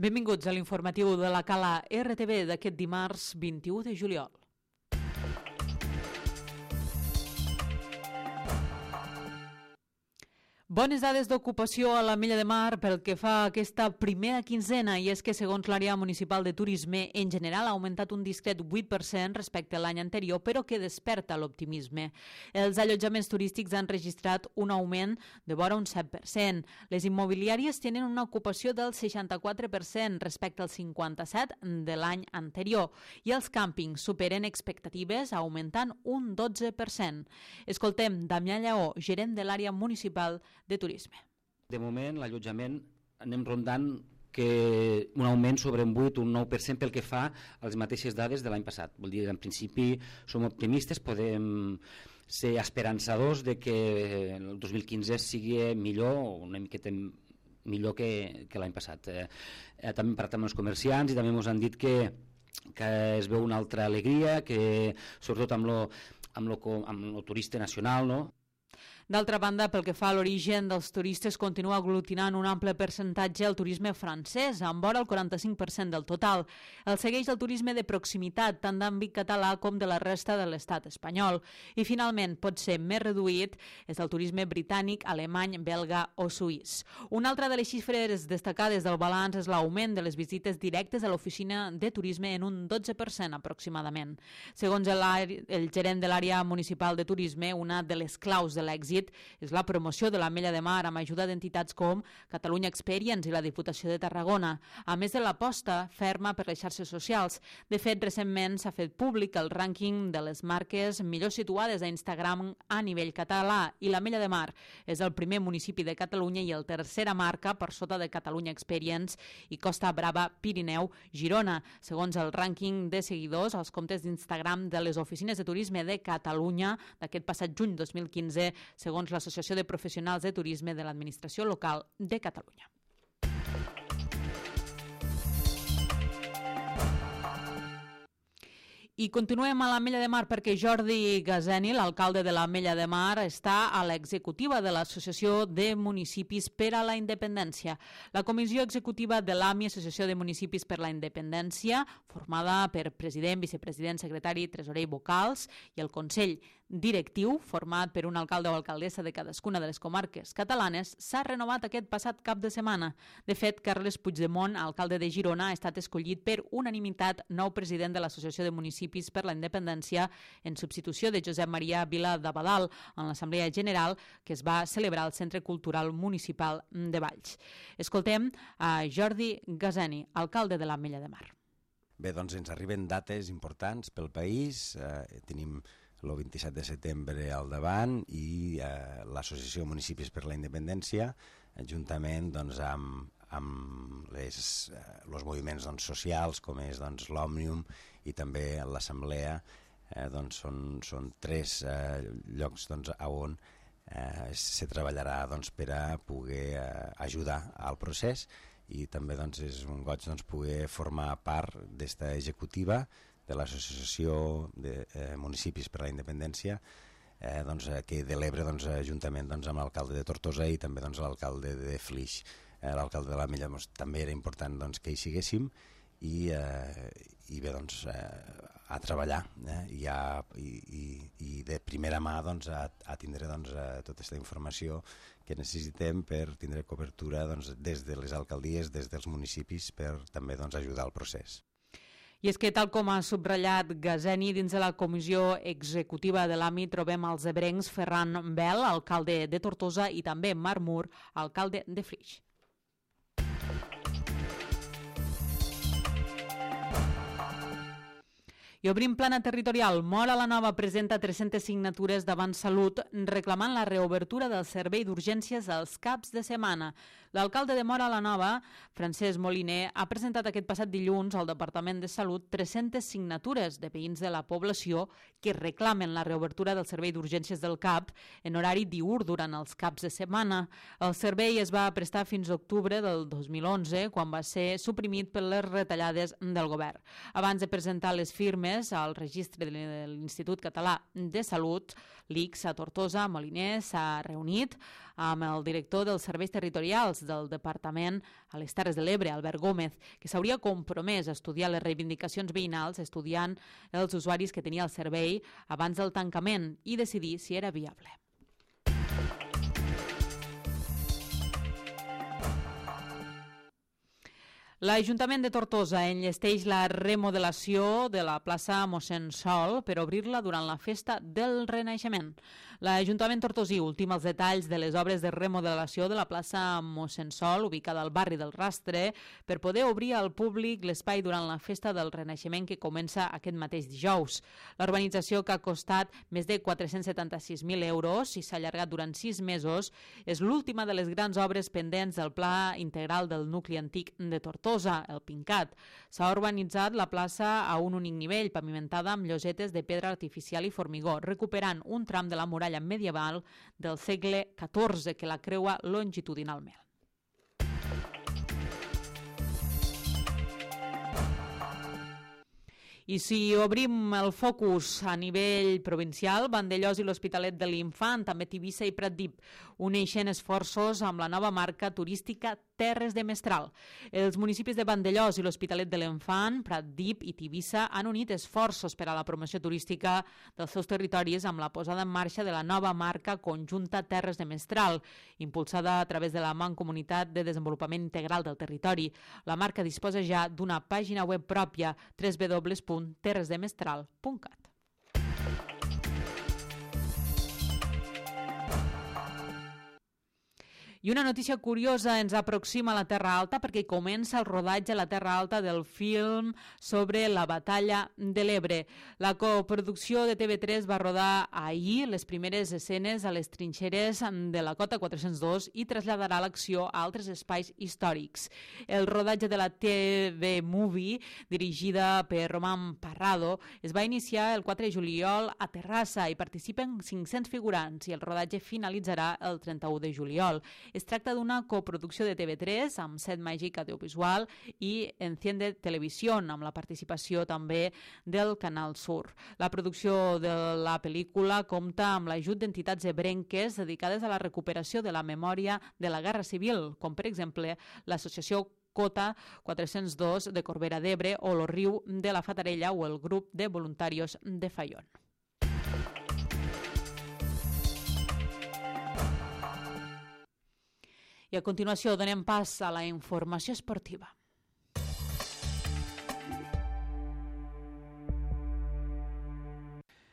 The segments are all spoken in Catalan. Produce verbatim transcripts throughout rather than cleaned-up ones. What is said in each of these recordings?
Benvinguts a l'informatiu de la Cala R T V d'aquest dimarts vint-i-u de juliol. Bones dades d'ocupació a l'Ametlla de Mar pel que fa a aquesta primera quinzena, i és que segons l'àrea municipal de turisme en general ha augmentat un discret vuit per cent respecte a l'any anterior, però que desperta l'optimisme. Els allotjaments turístics han registrat un augment de vora un set per cent. Les immobiliàries tenen una ocupació del seixanta-quatre per cent respecte al cinquanta-set per cent de l'any anterior i els càmpings superen expectatives augmentant un dotze per cent. Escoltem Damià Lleó, gerent de l'àrea municipal de turisme. De moment, l'allotjament anem rondant que un augment sobre un vuit o un nou per cent pel que fa a les mateixes dades de l'any passat. Vol dir, en principi, som optimistes, podem ser esperançadors de que el dos mil quinze sigui millor o una miqueta millor que, que l'any passat. Eh, eh, també hem parlat amb els comerciants i també ens han dit que, que es veu una altra alegria, que sobretot amb lo, amb lo, amb lo turista nacional, no? D'altra banda, pel que fa a l'origen dels turistes, continua aglutinant un ample percentatge al turisme francès, amb vora el quaranta-cinc per cent del total. El segueix el turisme de proximitat, tant d'àmbit català com de la resta de l'estat espanyol. I finalment, pot ser més reduït, és el turisme britànic, alemany, belga o suís. Una altra de les xifres destacades del balanç és l'augment de les visites directes a l'oficina de turisme en un dotze per cent aproximadament. Segons el, el gerent de l'àrea municipal de turisme, una de les claus de l'èxit és la promoció de l'Ametlla de Mar amb ajuda d'entitats com Catalunya Experience i la Diputació de Tarragona, a més de l'aposta ferma per les xarxes socials. De fet, recentment s'ha fet públic el rànquing de les marques millor situades a Instagram a nivell català i l'Ametlla de Mar és el primer municipi de Catalunya i el tercera marca per sota de Catalunya Experience i Costa Brava, Pirineu, Girona, segons el rànquing de seguidors als comptes d'Instagram de les oficines de turisme de Catalunya d'aquest passat juny dos mil quinze, segons l'Associació de Professionals de Turisme de l'Administració Local de Catalunya. I continuem a l'Ametlla de Mar perquè Jordi Gazeni, l'alcalde de l'Ametlla de Mar, està a l'executiva de l'Associació de Municipis per a la Independència. La comissió executiva de l'AMI, Associació de Municipis per la Independència, formada per president, vicepresident, secretari, tresorer i vocals, i el Consell Directiu, format per un alcalde o alcaldessa de cadascuna de les comarques catalanes, s'ha renovat aquest passat cap de setmana. De fet, Carles Puigdemont, alcalde de Girona, ha estat escollit per unanimitat nou president de l'Associació de Municipis per la Independència en substitució de Josep Maria Vila d'Abadal en l'Assemblea General que es va celebrar al Centre Cultural Municipal de Valls. Escoltem a Jordi Gazeni, alcalde de l'Ametlla de Mar. Bé, doncs ens arriben dates importants pel país. Eh, tenim el vint-i-set de setembre al davant i eh, l'Associació de Municipis per la Independència, juntament doncs, amb, amb les, eh, els moviments doncs, socials, com és doncs, l'Òmnium i també l'Assemblea, eh, doncs, són, són tres eh, llocs doncs, on eh, se treballarà doncs, per a poder eh, ajudar al procés i també doncs, és un goig doncs, poder formar part d'esta executiva de l'Associació de eh, Municipis per la Independència, eh, doncs, que de l'Ebre, doncs, juntament doncs, amb l'alcalde de Tortosa i també doncs, l'alcalde de Flix. Eh, l'alcalde de l'Ametlla doncs, també era important doncs, que hi siguéssim i, eh, i bé, doncs, eh, a treballar eh, i, a, i, i, i de primera mà doncs, a, a tindre doncs, a tota aquesta informació que necessitem per tindre cobertura doncs, des de les alcaldies, des dels municipis, per també doncs, ajudar al procés. I és que, tal com ha subratllat Gazeni, dins de la comissió executiva de l'AMI trobem els ebrencs Ferran Bel, alcalde de Tortosa, i també Marc Mur, alcalde de Flix. I obrim plana territorial. Móra la Nova presenta tres-centes signatures davant Salut reclamant la reobertura del servei d'urgències als caps de setmana. L'alcalde de Móra la Nova, Francesc Moliner, ha presentat aquest passat dilluns al Departament de Salut tres-centes signatures de veïns de la població que reclamen la reobertura del servei d'urgències del C A P en horari diürn durant els caps de setmana. El servei es va prestar fins a octubre del dos mil onze, quan va ser suprimit per les retallades del govern. Abans de presentar les firmes al registre de l'Institut Català de Salut, l'I C S a Tortosa, Moliner s'ha reunit amb el director dels serveis territorials del Departament a les Terres de l'Ebre, Albert Gómez, que s'hauria compromès a estudiar les reivindicacions veïnals estudiant els usuaris que tenia el servei abans del tancament i decidir si era viable. L'Ajuntament de Tortosa enllesteix la remodelació de la plaça Mossèn Sol per obrir-la durant la festa del Renaixement. L'Ajuntament tortosí ultima els detalls de les obres de remodelació de la plaça Mossèn Sol, ubicada al barri del Rastre, per poder obrir al públic l'espai durant la festa del Renaixement que comença aquest mateix dijous. La urbanització, que ha costat més de quatre-cents setanta-sis mil euros i s'ha allargat durant sis mesos, és l'última de les grans obres pendents del Pla Integral del Nucli Antic de Tortosa, el PINCAT. S'ha urbanitzat la plaça a un únic nivell, pavimentada amb llosetes de pedra artificial i formigó, recuperant un tram de la muralla medieval del segle catorze que la creua longitudinalment. I si obrim el focus a nivell provincial, Vandellòs i l'Hospitalet de l'Infant, també Tivissa i Pratdip, uneixen esforços amb la nova marca turística Terres de Mestral. Els municipis de Vandellòs i l'Hospitalet de l'Infant, Pratdip i Tivissa han unit esforços per a la promoció turística dels seus territoris amb la posada en marxa de la nova marca conjunta Terres de Mestral, impulsada a través de la Mancomunitat de Desenvolupament Integral del Territori. La marca disposa ja d'una pàgina web pròpia, w w w punt terres de mestral punt cat. I una notícia curiosa ens aproxima a la Terra Alta perquè comença el rodatge a la Terra Alta del film sobre la batalla de l'Ebre. La coproducció de T V tres va rodar ahir les primeres escenes a les trinxeres de la Cota quatre-cents dos i traslladarà l'acció a altres espais històrics. El rodatge de la T V Movie, dirigida per Román Parrado, es va iniciar el quatre de juliol a Terrassa i participen cinc-cents figurants i el rodatge finalitzarà el trenta-u de juliol. Es tracta d'una coproducció de T V tres amb Set Màgic Audiovisual i Enciende Televisión, amb la participació també del Canal Sur. La producció de la pel·lícula compta amb l'ajut d'entitats ebrenques dedicades a la recuperació de la memòria de la Guerra Civil, com per exemple l'Associació Cota quatre-cents dos de Corbera d'Ebre o el Riu de la Fatarella o el grup de voluntarios de Faión. I a continuació donem pas a la informació esportiva.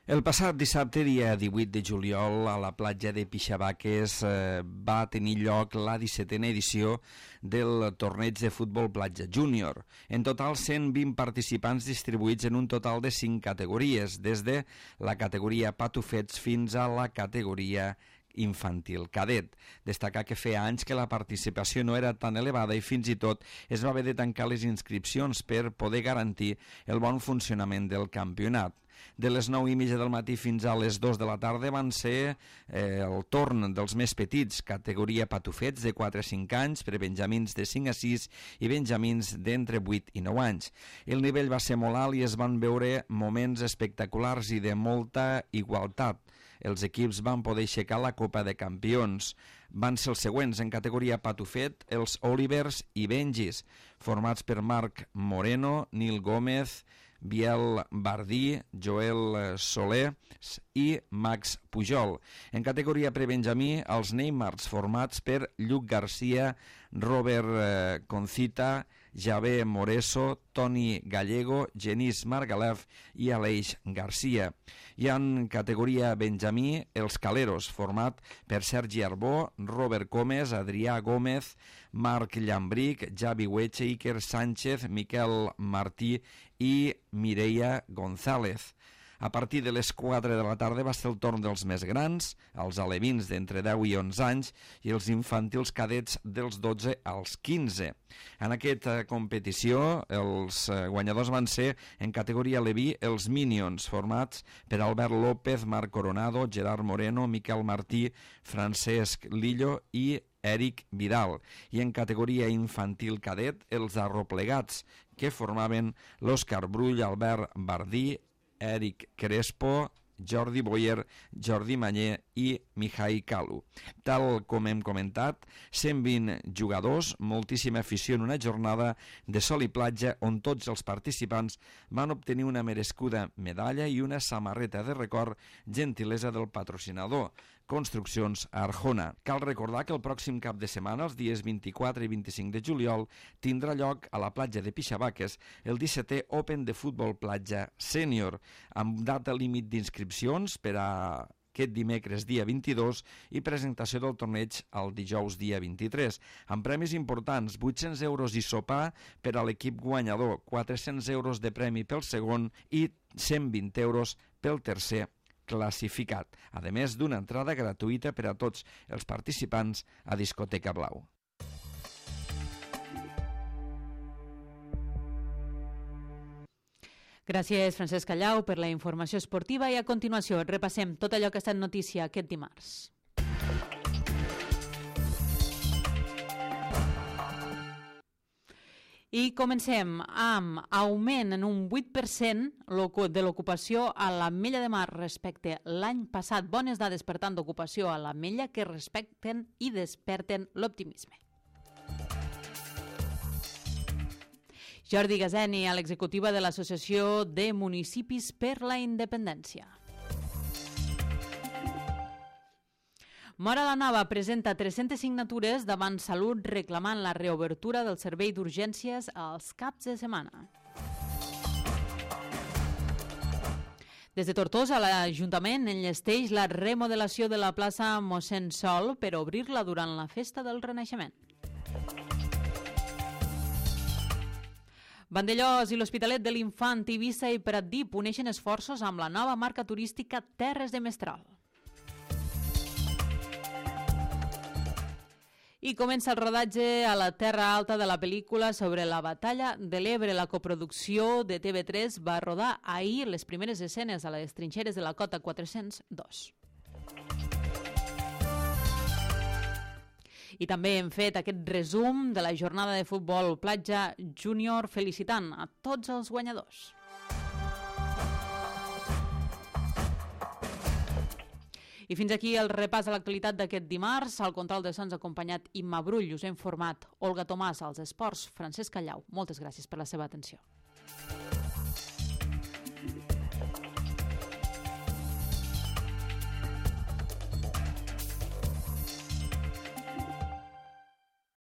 El passat dissabte, dia divuit de juliol, a la platja de Pixabaques eh, va tenir lloc la dissetena edició del torneig de futbol platja júnior. En total, cent vint participants distribuïts en un total de cinc categories, des de la categoria patufets fins a la categoria infantil cadet. Destacar que feia anys que la participació no era tan elevada i fins i tot es va haver de tancar les inscripcions per poder garantir el bon funcionament del campionat. De les nou i mitja del matí fins a les dues de la tarda van ser eh, el torn dels més petits, categoria patufets de quatre a cinc anys, per benjamins de cinc a sis i benjamins d'entre vuit i nou anys. El nivell va ser molt alt i es van veure moments espectaculars i de molta igualtat. Els equips van poder aixecar la Copa de Campions. Van ser els següents en categoria patufet, els Olivers i Benjis, formats per Marc Moreno, Nil Gómez, Biel Bardí, Joel Soler i Max Pujol. En categoria prebenjamí, els Neymars, formats per Lluc Garcia, Robert Concita, Javé Moreso, Toni Gallego, Genís Margalef i Aleix Garcia. I en categoria benjamí, els Caleros, format per Sergi Arbó, Robert Gómez, Adrià Gómez, Marc Llambric, Javi Hueche, Iker Sánchez, Miquel Martí i Mireia González. A partir de les quatre de la tarda va ser el torn dels més grans, els alevins d'entre deu i onze anys i els infantils cadets dels dotze als quinze. En aquesta competició els guanyadors van ser en categoria aleví els Minions, formats per Albert López, Marc Coronado, Gerard Moreno, Miquel Martí, Francesc Lillo i Eric Vidal. I en categoria infantil cadet els Arroplegats, que formaven l'Òscar Brull, Albert Bardí, Eric Crespo, Jordi Boyer, Jordi Mañé i Mihai Kalu. Tal com hem comentat, cent vint jugadors, moltíssima afició en una jornada de sol i platja on tots els participants van obtenir una merescuda medalla i una samarreta de record, gentilesa del patrocinador, Construccions Arjona. Cal recordar que el pròxim cap de setmana, els dies vint-i-quatre i vint-i-cinc de juliol, tindrà lloc a la platja de Pixabaques el dissetè Open de Futbol Platja Sènior, amb data límit d'inscripcions per a aquest dimecres dia vint-i-dos i presentació del torneig el dijous dia vint-i-tres, amb premis importants, vuit-cents euros i sopar per a l'equip guanyador, quatre-cents euros de premi pel segon i cent vint euros pel tercer classificat, a més d'una entrada gratuïta per a tots els participants a Discoteca Blau. Gràcies, Francesc Callau, per la informació esportiva i a continuació repassem tot allò que ha estat notícia aquest dimarts. I comencem amb augment en un vuit per cent de l'ocupació a l'Ametlla de Mar respecte l'any passat. Bones dades, per tant, d'ocupació a l'Ametlla que respecten i desperten l'optimisme. Jordi Gazeni, a l'executiva de l'Associació de Municipis per la Independència. Móra la Nova presenta tres-centes signatures davant Salut reclamant la reobertura del servei d'urgències als caps de setmana. Des de Tortosa, l'Ajuntament enllesteix la remodelació de la plaça Mossèn Sol per obrir-la durant la festa del Renaixement. Vandellós i l'Hospitalet de l'Infant, Eivissa i Pratdip uneixen esforços amb la nova marca turística Terres de Mestral. I comença el rodatge a la Terra Alta de la pel·lícula sobre la batalla de l'Ebre. La coproducció de T V tres va rodar ahir les primeres escenes a les trinxeres de la Cota quatre-cents dos. I també hem fet aquest resum de la jornada de futbol platja júnior felicitant a tots els guanyadors. I fins aquí el repàs a l'actualitat d'aquest dimarts. Al control de sons acompanyat Imma Brull. Us ha informat Olga Tomàs, als esports Francesc Callau. Moltes gràcies per la seva atenció.